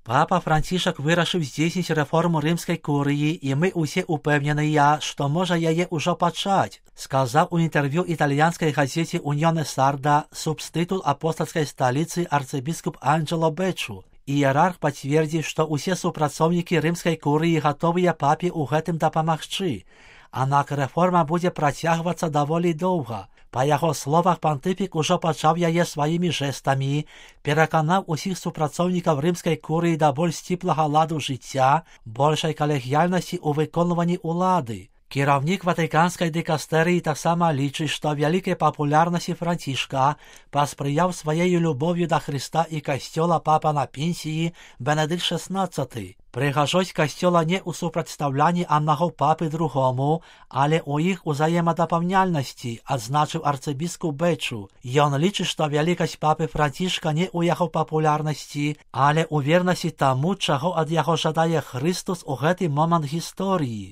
Папа Францішак вирашив здійснити реформу римської курії, і ми усі упевнені, що може її уже почати, сказав у інтерв'ю італійській газеті «Уньйоне Сарда» субститул апостольської столиці арцибіскуп Анджело Бечу. Ієрарх підтвердив, що усі супрацовники римської курії готові папі у гэтым допомогти. Однак реформа буде протягуватися доволі довго. По його словах, понтифік уже почав її своїми жестами, переконав усіх супрацовників римської курії до більш теплого ладу життя, більшої колегіальності у виконуванні влади. Керівник Ватиканської дикастерії так само лічить, що великій популярності Францишка посприяв своєю любов'ю до Христа і Костьола папа на пенсії Бенедикт XVI. Прихожость Костьола не у супредставлянні одного папи другому, але у їх взаємодоповняльності, означив арцибіскуп Бечу. Він лічить, що великость папи Францишка не у його популярності, але у вірності тому, чого від його жадає Христос у цей момент історії.